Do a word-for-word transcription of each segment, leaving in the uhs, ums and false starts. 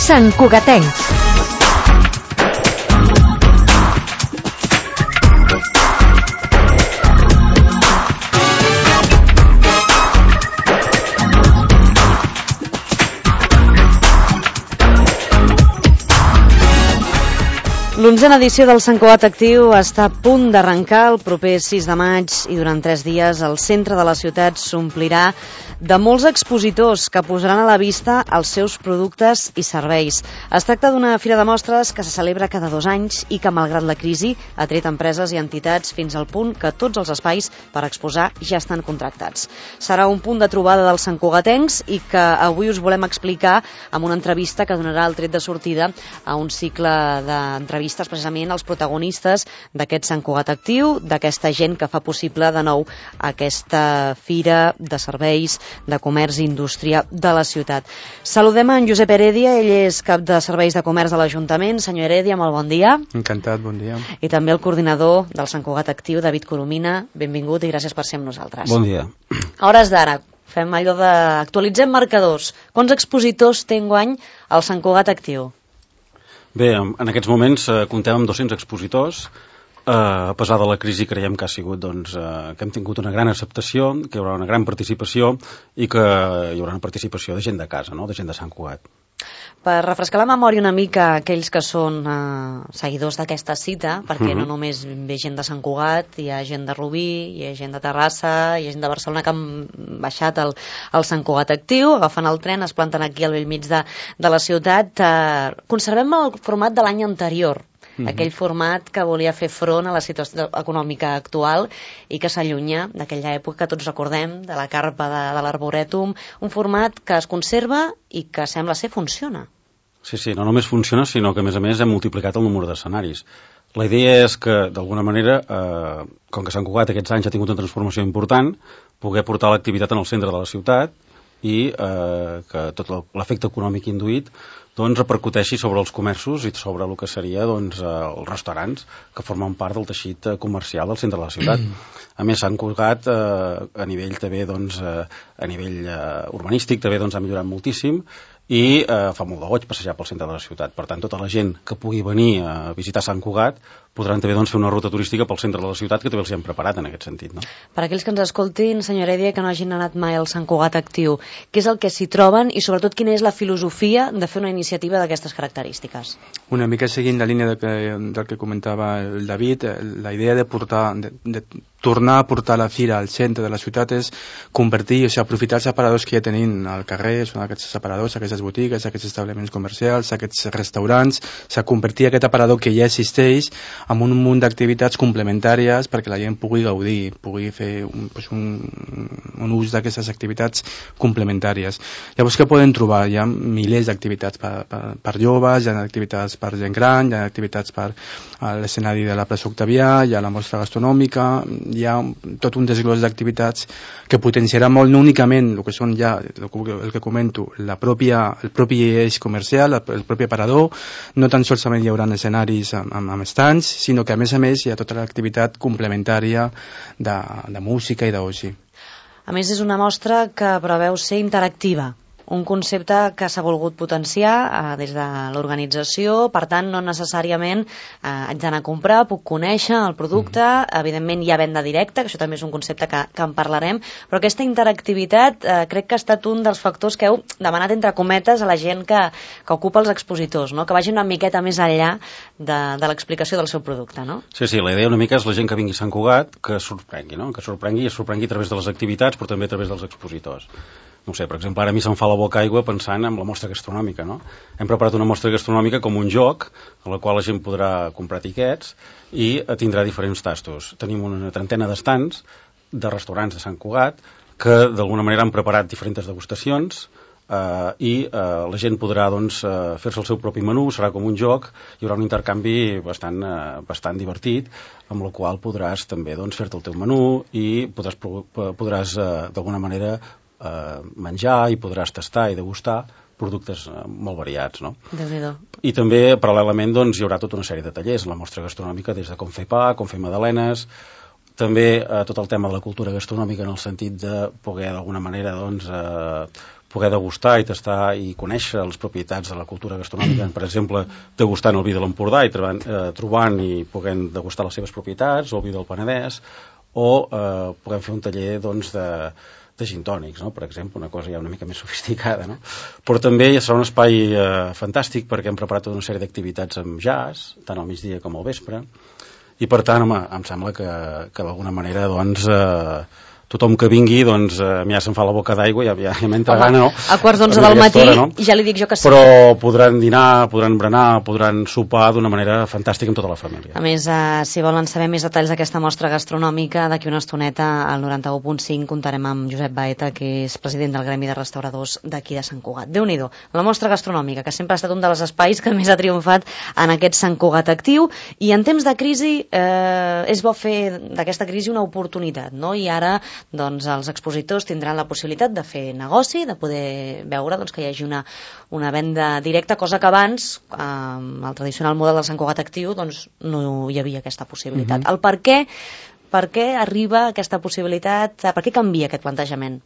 Santcugatencs. L'onzena edició del Sant Cugat Actiu està a punt d'arrencar el proper sis de maig i durant tres dies el centre de la ciutat s'omplirà de molts expositors que posaran a la vista els seus productes i serveis. Es tracta d'una fira de mostres que se celebra cada dos anys i que, malgrat la crisi, ha tret empreses i entitats fins al punt que tots els espais per exposar ja estan contractats. Serà un punt de trobada dels santcugatencs i que avui us volem explicar amb una entrevista que donarà el tret de sortida a un cicle d'entrevistes precisament als protagonistes d'aquest Sant Cugat Actiu, d'aquesta gent que fa possible de nou aquesta fira de serveis, de comerç i indústria de la ciutat. Saludem en Josep Heredia, ell és cap de serveis de comerç de l'Ajuntament. Senyor Heredia, molt bon dia. Encantat, bon dia. I també el coordinador del Sant Cugat Actiu, David Coromina. Benvingut i gràcies per ser amb nosaltres. Bon dia. A hores d'ara, fem allò de... actualitzem marcadors. Quants expositors té enguany el Sant Cugat Actiu? Bé, en aquests moments eh, comptem amb dos-cents expositors. Eh, a pesar de la crisi creiem que ha sigut doncs, eh, que hem tingut una gran acceptació, que hi haurà una gran participació i que hi haurà una participació de gent de casa, no? De gent de Sant Cugat. Per refrescar la memòria una mica a aquells que són eh, seguidors d'aquesta cita, perquè uh-huh. no només ve gent de Sant Cugat, hi ha gent de Rubí, hi ha gent de Terrassa, hi ha gent de Barcelona que han baixat el, el Sant Cugat Actiu, agafen el tren, es planten aquí al bell mig de, de la ciutat. Eh, conservem el format de l'any anterior, uh-huh. aquell format que volia fer front a la situació econòmica actual i que s'allunya d'aquella època que tots recordem, de la carpa de, de l'Arborètum, un format que es conserva i que sembla ser funciona. Sí, sí, no només funciona, sinó que a més a més hem multiplicat el número d'escenaris. La idea és que, d'alguna manera, eh, com que Sant Cugat aquests anys ha tingut una transformació important, poder portar l'activitat en el centre de la ciutat i eh, que tot l'efecte econòmic induït doncs, repercuteixi sobre els comerços i sobre el que seria doncs, eh, els restaurants que formen part del teixit comercial del centre de la ciutat. A més, Sant Cugat eh, a nivell també doncs, eh, a nivell eh, urbanístic també doncs, ha millorat moltíssim i eh, fa molt de goig passejar pel centre de la ciutat. Per tant, tota la gent que pugui venir a visitar Sant Cugat podran també doncs, fer una ruta turística pel centre de la ciutat, que també els hi hem preparat en aquest sentit. No? Per aquells que ens escoltin, senyor Heredia, que no hagin anat mai al Sant Cugat Actiu, què és el que s'hi troben i sobretot quina és la filosofia de fer una iniciativa d'aquestes característiques? Una mica seguint la línia de que, del que comentava el David, la idea de portar, de, de tornar a portar la fira al centre de la ciutat és convertir, o sigui, aprofitar els aparadors que ja tenim al carrer, són aquests aparadors, aquestes botigues, aquests establiments comercials, aquests restaurants, o sigui, convertir aquest aparador que ja existeix en un munt d'activitats complementàries perquè la gent pugui gaudir, pugui fer un, pues un, un ús d'aquestes activitats complementàries. Llavors, què poden trobar? Hi ha milers d'activitats per, per, per joves, hi ha activitats per gent gran, hi ha activitats per l'escenari de la plaça Octavià, hi ha la mostra gastronòmica, hi ha tot un desglòs d'activitats que potenciarà molt no únicament el que són ja, el que comento, la pròpia, el propi eix comercial, el propi aparador, no tan solament hi haurà escenaris amb, amb, amb estants, sinó que a més a més hi ha tota l'activitat complementària de, de música i d'oci. A més, és una mostra que preveu ser interactiva. Un concepte que s'ha volgut potenciar eh, des de l'organització, per tant, no necessàriament eh, haig d'anar a comprar, puc conèixer el producte, mm. evidentment hi ha venda directa, que això també és un concepte que, que en parlarem, però aquesta interactivitat eh, crec que ha estat un dels factors que heu demanat entre cometes a la gent que, que ocupa els expositors, no? Que vagin una miqueta més enllà de, de l'explicació del seu producte, no? Sí, sí, la idea una mica és la gent que vingui a Sant Cugat que sorprengui, no? Que sorprengui i es sorprengui a través de les activitats, però també a través dels expositors. No sé, per exemple, ara a mi se'm fa la boca aigua pensant en la mostra gastronòmica, no? Hem preparat una mostra gastronòmica com un joc en la qual la gent podrà comprar tiquets i tindrà diferents tastos. Tenim una trentena d'estants de restaurants de Sant Cugat que d'alguna manera han preparat diferents degustacions eh, i eh, la gent podrà doncs, eh, fer-se el seu propi menú, serà com un joc, hi haurà un intercanvi bastant, eh, bastant divertit amb el qual podràs també doncs, fer-te el teu menú i podràs, podràs eh, d'alguna manera eh, menjar i podràs tastar i degustar productes eh, molt variats, no? Déu-n'hi-do. I també, paral·lelament, doncs, hi haurà tota una sèrie de tallers, la mostra gastronòmica, des de com fer pa, com fer magdalenes, també eh, tot el tema de la cultura gastronòmica, en el sentit de poder d'alguna manera doncs, eh, poder degustar i tastar i conèixer les propietats de la cultura gastronòmica, per exemple, degustant el vi de l'Empordà i trobant, eh, trobant i podent degustar les seves propietats, o el vi del Penedès, o eh, podem fer un taller doncs, de, de gin tònics, no? Per exemple, una cosa ja una mica més sofisticada, no? Però també serà un espai eh, fantàstic perquè hem preparat tota una sèrie d'activitats amb jazz, tant al migdia com al vespre, i per tant, home, em sembla que, que d'alguna manera doncs, eh, tothom que vingui, doncs, a mi ja se'm fa la boca d'aigua, ja, ja, ja m'entra gana, no? A quarts d'onze del matí, hora, no? Ja li dic jo que sí. Però podran dinar, podran berenar, podran sopar d'una manera fantàstica amb tota la família. A més, eh, si volen saber més detalls d'aquesta mostra gastronòmica, d'aquí una estoneta, al noranta-u punt cinc, comptarem amb Josep Baeta, que és president del Gremi de Restauradors d'aquí de Sant Cugat. Déu-n'hi-do, la mostra gastronòmica, que sempre ha estat un dels espais que més ha triomfat en aquest Sant Cugat actiu, i en temps de crisi eh, és bo fer d'aquesta crisi una oportunitat, no? I ara doncs els expositors tindran la possibilitat de fer negoci, de poder veure doncs, que hi hagi una, una venda directa, cosa que abans, amb el tradicional model del Sant Cugat actiu, doncs no hi havia aquesta possibilitat. Uh-huh. El per què, per què arriba aquesta possibilitat, per què canvia aquest plantejament?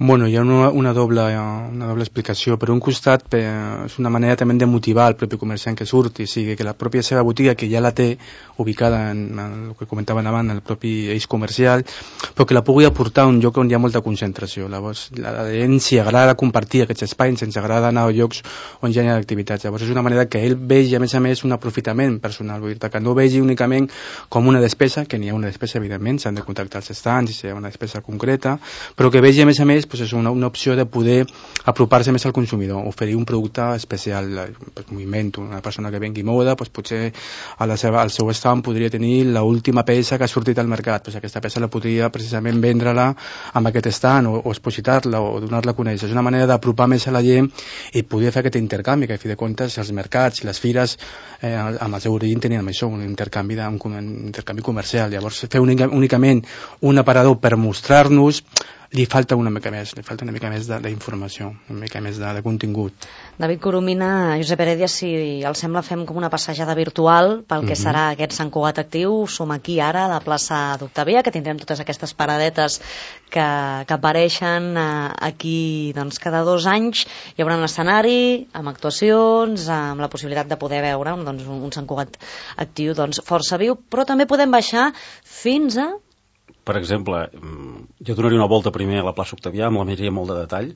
Bueno, hi ha una, una, doble, una doble explicació. Per un costat, per, és una manera també de motivar el propi comerciant que surti, o sigui, que la pròpia seva botiga, que ja la té ubicada en, en el que comentaven abans, en el propi eix comercial, però que la pugui aportar a un lloc on hi ha molta concentració. Llavors, la gent s'hi agrada compartir aquests espais, ens agrada anar a llocs on ja hi ha activitats. Llavors, és una manera que ell vegi, a més a més, un aprofitament personal, vull dir que no vegi únicament com una despesa, que n'hi ha una despesa, evidentment, s'han de contactar els estants, si hi ha una despesa concreta, però que vegi, a més a més, pues és una, una opció de poder apropar-se més al consumidor, oferir un producte especial, pues, moviment, una persona que vengui moda, pues, potser a la seva, al seu estant podria tenir l'última peça que ha sortit al mercat, pues, aquesta peça la podria precisament vendre-la amb aquest estant o, o expositar-la o donar-la a conèixer. És una manera d'apropar més a la gent i poder fer aquest intercanvi, que a fi de comptes els mercats i les fires eh, amb el seu origen tenien això, un intercanvi, de, un, un intercanvi comercial. Llavors fer únicament un aparador per mostrar-nos li falta una mica més, li falta una mica més d'informació, una mica més de, de contingut. David Coromina, Josep Heredia, si els sembla fem com una passejada virtual pel que uh-huh. serà aquest Sant Cugat actiu. Som aquí ara a la plaça d'Octavia, que tindrem totes aquestes paradetes que, que apareixen eh, aquí doncs, cada dos anys. Hi haurà un escenari amb actuacions, amb la possibilitat de poder veure doncs, un, un Sant Cugat actiu doncs, força viu, però també podem baixar fins a... Per exemple, jo donaria una volta primer a la plaça Octavià, me la miraria molt de detall,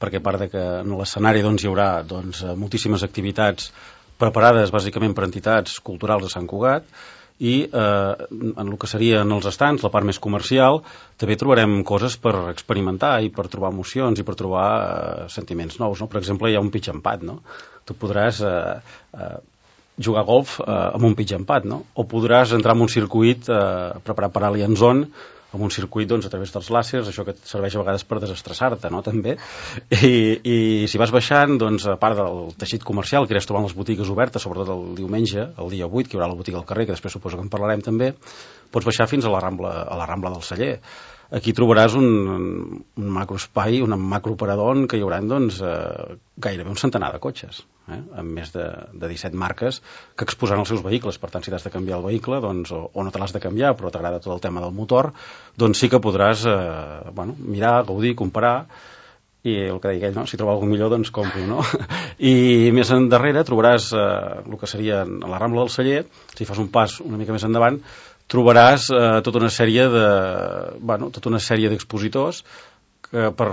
perquè a part de que en l'escenari doncs, hi haurà doncs, moltíssimes activitats preparades bàsicament per entitats culturals de Sant Cugat, i eh, en el que serien els estants, la part més comercial, també trobarem coses per experimentar i per trobar emocions i per trobar eh, sentiments nous. No? Per exemple, hi ha un pitch and pad, no? Tu podràs... Eh, eh, jugar a golf eh, amb un pitch and pad, no? O podràs entrar en un circuit eh, preparat per Alien Zone, amb un circuit doncs, a través dels làsers, això que et serveix a vegades per desestressar-te, no? També. I, i si vas baixant, doncs, a part del teixit comercial, que iràs trobant les botigues obertes, sobretot el diumenge, el dia vuit, que hi haurà la botiga al carrer, que després suposo que en parlarem també, pots baixar fins a la Rambla, a la Rambla del Celler. Aquí trobaràs un, un macroespai, un macroparador en què hi haurà doncs, eh, gairebé un centenar de cotxes, eh, amb més de, de disset marques que exposaran els seus vehicles. Per tant, si t'has de canviar el vehicle doncs, o, o no te l'has de canviar, però t'agrada tot el tema del motor, doncs sí que podràs eh, bueno, mirar, gaudir, comparar, i el que deia ell, no? Si troba alguna millor, doncs compro, no? I més endarrere trobaràs eh, el que seria a la Rambla del Celler, si fas un pas una mica més endavant, trobaràs eh, tota una sèrie de, bueno, tota una sèrie d'expositors que per,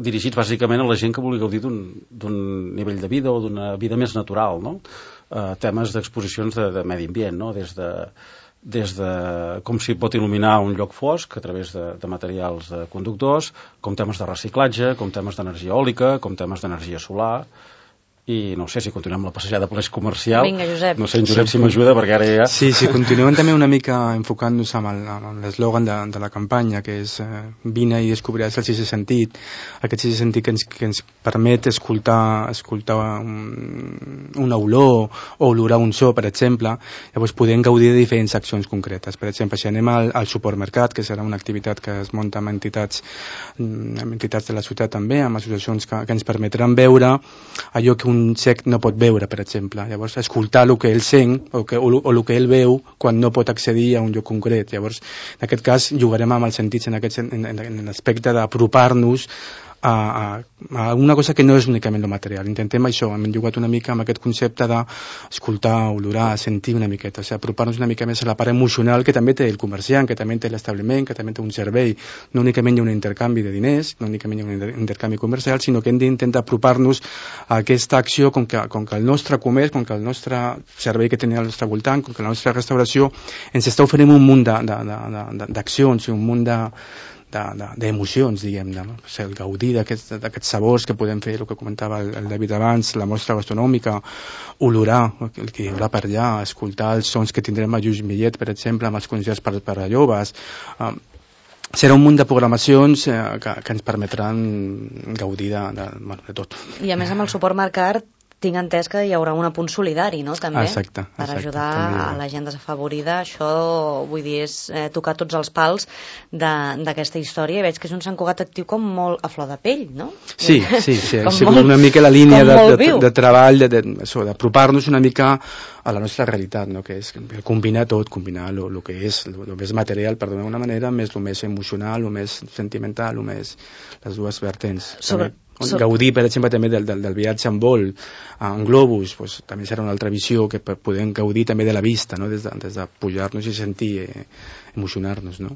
dirigits bàsicament a la gent que vulgui gaudir d'un nivell de vida o d'una vida més natural, no? Eh, temes d'exposicions de, de medi ambient, no? Des de, des de com s'hi pot il·luminar un lloc fosc a través de, de materials de conductors, com temes de reciclatge, com temes d'energia eòlica, com temes d'energia solar. I no sé si continuem la passejada per l'eix comercial. Vinga, Josep. No sé, en Josep, si m'ajuda, perquè ara ja... Sí, sí, continuem també una mica enfocant-nos amb l'eslògan de, de la campanya, que és eh, vine i descobriràs el sisè sentit. Aquest sisè sentit que ens, que ens permet escoltar, escoltar un, una olor o olorar un so, per exemple. Llavors podem gaudir de diferents accions concretes. Per exemple, si anem al, al supermercat, que serà una activitat que es munta amb entitats, amb entitats de la ciutat també, amb associacions que, que ens permetran veure allò que un un cec no pot veure, per exemple. Llavors, escoltar el que ell sent o, que, o, o el que ell veu quan no pot accedir a un lloc concret. Llavors, en aquest cas, jugarem amb els sentits en, aquest, en, en, en l'aspecte d'apropar-nos a, a, a una cosa que no és únicament el material. Intentem això, hem jugat una mica amb aquest concepte d'escoltar, olorar, sentir una miqueta, o sigui, apropar-nos una mica més a la part emocional que també té el comerciant, que també té l'establiment, que també té un servei. No únicament hi ha un intercanvi de diners, no únicament hi ha un intercanvi comercial, sinó que hem d'intentar apropar-nos a aquesta acció com que, com que el nostre comerç, com que el nostre servei que tenim al nostre voltant, com que la nostra restauració ens està oferint un munt d'accions i un munt de d'emocions, diguem, de, o sigui, el gaudir d'aquests aquest sabors que podem fer, el que comentava el, el David abans, la mostra gastronòmica, olorar el que hi haurà per allà, escoltar els sons que tindrem a Lluís Millet, per exemple, amb els concerts per, per a joves. Um, serà un munt de programacions eh, que, que ens permetran gaudir de, de, bueno, de tot. I a més amb el suport Mercat tinc entès que hi haurà un apunt solidari, no?, també, exacte, per exacte, ajudar també. A la gent desafavorida. Això, vull dir, és eh, tocar tots els pals d'aquesta història. I veig que és un Sant Cugat actiu com molt a flor de pell, no? Sí, sí, sí, ha sigut una mica la línia de, de, de treball, d'apropar-nos una mica a la nostra realitat, no?, que és combinar tot, combinar el que és el més material, per dir-ho d'una manera, més el més emocional, el més sentimental, el més les dues vertents. Sobre... So... Gaudir, per exemple, també del, del, del viatge en vol, en globus, pues, també serà una altra visió que podem gaudir també de la vista, no?, des de, des de pujar-nos i sentir, eh, emocionar-nos, no?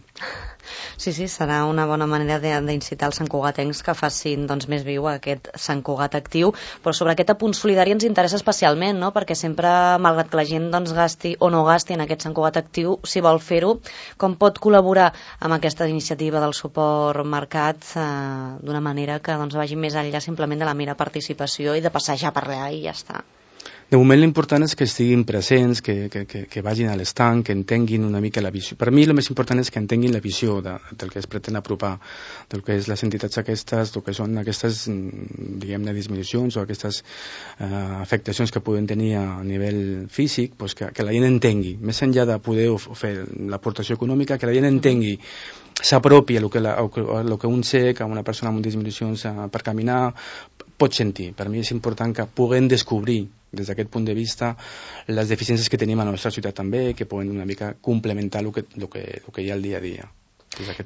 Sí, sí, serà una bona manera d'incitar els santcugatencs que facin doncs, més viu aquest Sant Cugat actiu, però sobre aquest apunt solidari ens interessa especialment, no?, perquè sempre, malgrat que la gent doncs, gasti o no gasti en aquest Sant Cugat actiu, si vol fer-ho, com pot col·laborar amb aquesta iniciativa del suport Mercat eh, d'una manera que doncs, vagi més enllà simplement de la mera participació i de passejar per allà i ja està. De moment l'important és que estiguin presents, que, que, que, que vagin a l'estanc, que entenguin una mica la visió. Per mi el més important és que entenguin la visió de, del que es pretén apropar, del que és les entitats aquestes, del que són aquestes, diguem-ne, disminucions o aquestes eh, afectacions que poden tenir a nivell físic, pues que, que la gent entengui, més enllà de poder fer l'aportació econòmica, que la gent entengui, s'apropi a lo que, la, a lo que un cec, a una persona amb disminucions eh, per caminar, pot sentir. Per mi és important que puguem descobrir des d'aquest punt de vista les deficiències que tenim a la nostra ciutat també, que poden una mica complementar el que, el que, el que hi ha al dia a dia.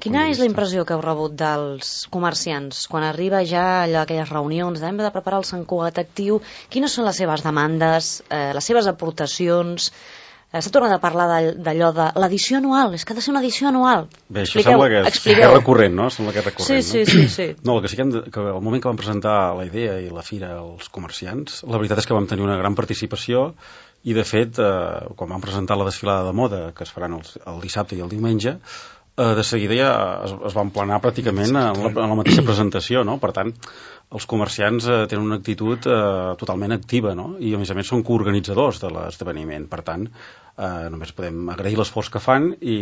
Quina és la impressió que heu rebut dels comerciants quan arriba ja allò, aquelles reunions hem de preparar el Sant Cugat actiu? Quines són les seves demandes, eh, les seves aportacions? S'ha tornat a parlar d'allò de l'edició anual, és que ha de ser una edició anual. Bé, això sembla que és, que és recurrent, no? Sembla que és recurrent, sí, sí, sí, sí. No, el que sí que, hem de, que al moment que vam presentar la idea i la fira als comerciants, la veritat és que vam tenir una gran participació i, de fet, eh, quan vam presentar la desfilada de moda, que es faran el, el dissabte i el diumenge, eh, de seguida ja es, es van planar pràcticament en la, en la mateixa presentació, no? Per tant, els comerciants eh, tenen una actitud eh, totalment activa, no? I a més a més són coorganitzadors de l'esdeveniment. Per tant, eh, només podem agrair l'esforç que fan i,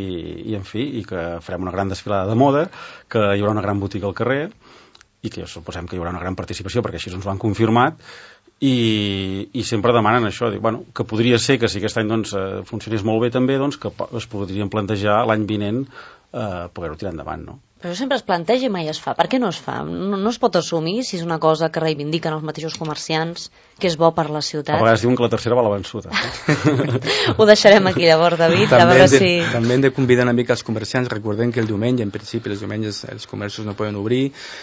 i, en fi, i que farem una gran desfilada de moda, que hi haurà una gran botiga al carrer i que suposem que hi haurà una gran participació perquè així ens ho han confirmat i, i sempre demanen això, dic, bueno, que podria ser que si aquest any doncs, eh, funcionés molt bé també, doncs, que es podrien plantejar l'any vinent eh, poder-ho tirar endavant, no? Però això sempre es planteja i mai es fa. Per què no es fa? No, no es pot assumir si és una cosa que reivindiquen els mateixos comerciants, que és bo per la ciutat. A vegades diuen que la tercera va la vençuda. No? Ho deixarem aquí llavors, David. També, a veure de, si... també hem de convidar una mica els comerciants. Recordem que el diumenge, en principi, els diumenges els comerços no poden obrir.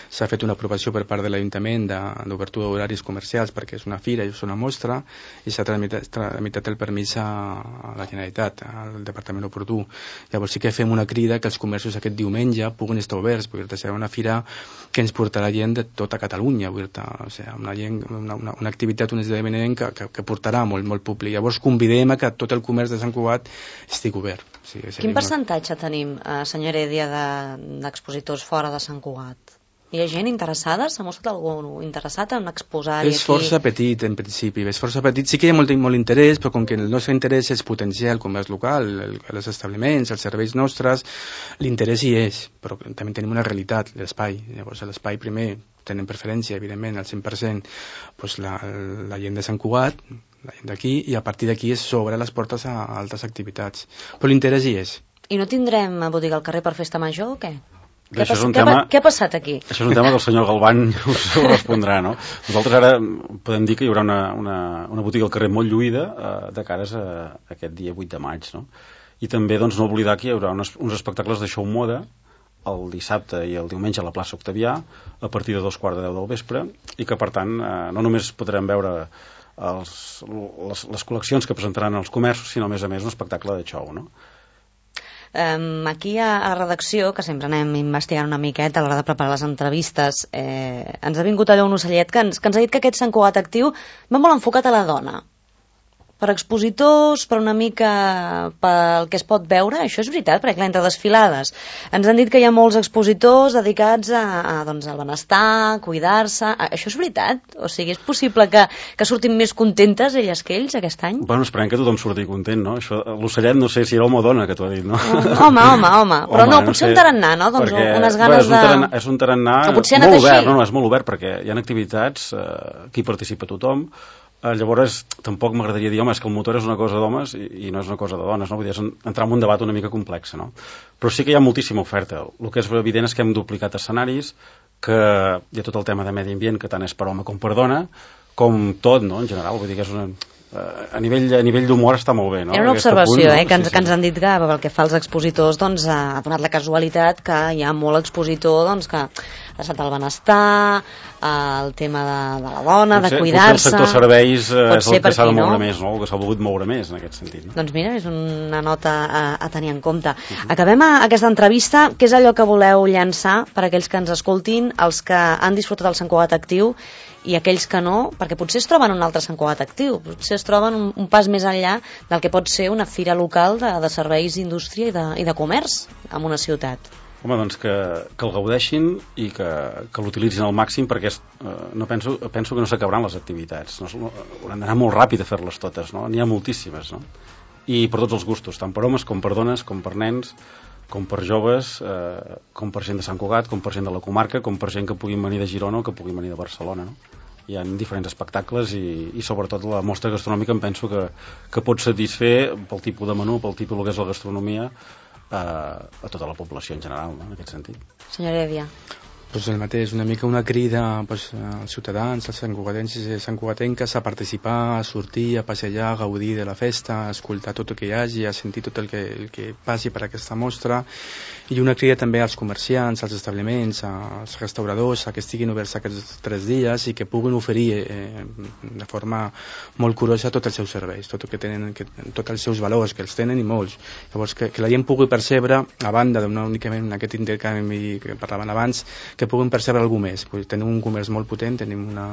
S'ha fet una aprovació per part de l'Ajuntament d'obertura d'horaris comercials perquè és una fira i és una mostra i s'ha tramitat, tramitat el permís a la Generalitat, al Departament oportú. Llavors sí que fem una crida que els comerços aquest diumenge puguin estar oberts, perquè serà una fira que ens portarà gent de tota Catalunya, o sigui, una, gent, una, una, una activitat, un esdeveniment que, que, que portarà molt, molt públic. Llavors convidem a que tot el comerç de Sant Cugat estigui obert. O sigui, quin percentatge una... tenim, eh, senyor Heredia, d'expositors de, fora de Sant Cugat? Hi ha gent interessada? S'ha mostrat algú interessat en exposar-hi aquí? És força petit, en principi. És força petit. Sí que hi ha molt, molt interès, però com que el nostre interès és potenciar el comerç local, el, els establiments, els serveis nostres, l'interès hi és, però també tenim una realitat, l'espai. Llavors, l'espai primer tenen preferència, evidentment, al cent per cent doncs la, la gent de Sant Cugat, la gent d'aquí, i a partir d'aquí es s'obre les portes a, a altres activitats. Però l'interès hi és. I no tindrem botiga al carrer per festa major o què? Què, pas, què, tema, què ha passat aquí? Això és un tema que el senyor Galván us ho respondrà, no? Nosaltres ara podem dir que hi haurà una, una, una botiga al carrer molt lluïda eh, de cares a, a aquest dia vuit de maig, no? I també doncs, no oblidar que hi haurà uns, uns espectacles de show moda el dissabte i el diumenge a la plaça Octavià a partir de dos quarts de deu del vespre i que per tant eh, no només podrem veure els, les, les col·leccions que presentaran els comerços, sinó a més a més un espectacle de show, no? Um, aquí a, a la redacció, que sempre anem investigant una miqueta a l'hora de preparar les entrevistes, eh, ens ha vingut allò un ocellet que ens, que ens ha dit que aquest Sant Cugat Actiu va molt enfocat a la dona. Per expositors, per una mica pel que es pot veure, això és veritat, perquè clar, entre desfilades ens han dit que hi ha molts expositors dedicats a, a, doncs, al benestar, a cuidar-se, a, això és veritat? O sigui, és possible que, que surtin més contentes elles que ells aquest any? Bueno, esperem que tothom surti content, no? Això, l'ocellet no sé si era home o dona que t'ho ha dit, no? Home, home, home, però home, no, potser no sé, un tarannà, no? Doncs perquè, unes ganes bé, és un tarannà, de... És un tarannà molt obert, no, no, és molt obert perquè hi ha activitats eh, que hi participa tothom. Eh, llavors tampoc m'agradaria dir, home, és que el motor és una cosa d'homes i, i no és una cosa de dones, no? Vull dir, és entrar en un debat una mica complex, no? Però sí que hi ha moltíssima oferta. El que és evident és que hem duplicat escenaris, que hi ha tot el tema de medi ambient, que tant és per home com per dona, com tot, no?, en general, vull dir que és una... a nivell, a nivell d'humor està molt bé, no? Era una observació, punt, no? eh, que, ens, sí, sí. que ens han dit que pel que fa als expositors doncs, ha donat la casualitat que hi ha molt expositor doncs, que ha estat el benestar, el tema de, de la dona, potser, de cuidar-se... Potser el sector serveis eh, és el que s'ha de moure no? més, no? El que s'ha volgut moure més en aquest sentit. No? Doncs mira, és una nota a, a tenir en compte. Uh-huh. Acabem a, aquesta entrevista. Què és allò que voleu llançar per a aquells que ens escoltin, els que han disfrutat del Sant Cugat Actiu i aquells que no, perquè potser es troben un altre Sant Cugat Actiu, potser es troben un, un pas més enllà del que pot ser una fira local de, de serveis d'indústria i de, i de comerç en una ciutat. Home, doncs que, que el gaudeixin i que, que l'utilitzin al màxim perquè eh, no penso, penso que no s'acabaran les activitats, no, no, hauran d'anar molt ràpid a fer-les totes, no? N'hi ha moltíssimes, no? I per tots els gustos, tant per homes com per dones, com per nens, com per joves, eh, com per gent de Sant Cugat, com per gent de la comarca, com per gent que puguin venir de Girona o que puguin venir de Barcelona, no? Hi ha diferents espectacles i, i sobretot la mostra gastronòmica em penso que, que pot satisfer pel tipus de menú, pel tipus que és la gastronomia eh, a tota la població en general, no? En aquest sentit. Senyora Èvia. Pues el mateix, una mica una crida pues, als ciutadans, als santcugatencs i santcugatenques a participar, a sortir, a passejar, a gaudir de la festa, a escoltar tot el que hi hagi, a sentir tot el que, el que passi per aquesta mostra, i una crida també als comerciants, als establiments, als restauradors, a que estiguin oberts aquests tres dies i que puguin oferir eh, de forma molt curosa tots els seus serveis, tot el que tenen, que, tots els seus valors, que els tenen i molts. Llavors, que, que la gent pugui percebre, a banda d'una únicament en aquest intercanvi que parlaven abans, que puguin percebre alguna més. Tenim un comerç molt potent, tenim una,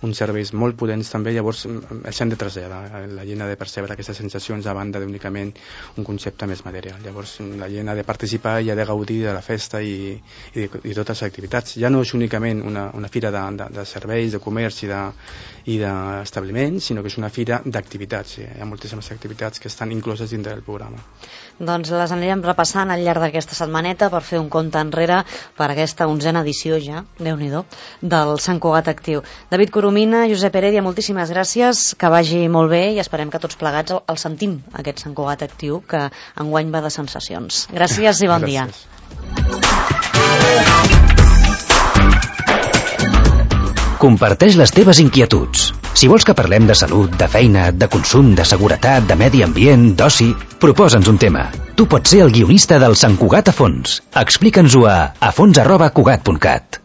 uns serveis molt potents també, llavors els hem de traslladar. La gent ha de percebre aquestes sensacions a banda d'únicament un concepte més material. Llavors la gent ha de participar i ha de gaudir de la festa i, i, de, i totes les activitats. Ja no és únicament una, una fira de, de, de serveis, de comerç i de i d'establiments, sinó que és una fira d'activitats. Hi ha moltíssimes activitats que estan incloses dintre del programa. Doncs les anirem repassant al llarg d'aquesta setmaneta per fer un compte enrere per aquesta onzena edició ja, Déu-n'hi-do, del Sant Cugat Actiu. David Coromina, Josep Heredia, moltíssimes gràcies, que vagi molt bé i esperem que tots plegats el, el sentim, aquest Sant Cugat Actiu, que enguany va de sensacions. Gràcies i bon gràcies. dia. Comparteix les teves inquietuds. Si vols que parlem de salut, de feina, de consum, de seguretat, de medi ambient, d'oci, proposa'ns un tema. Tu pots ser el guionista del Sant Cugat a fons. Explica'ns-ho a afons arroba cugat punt cat.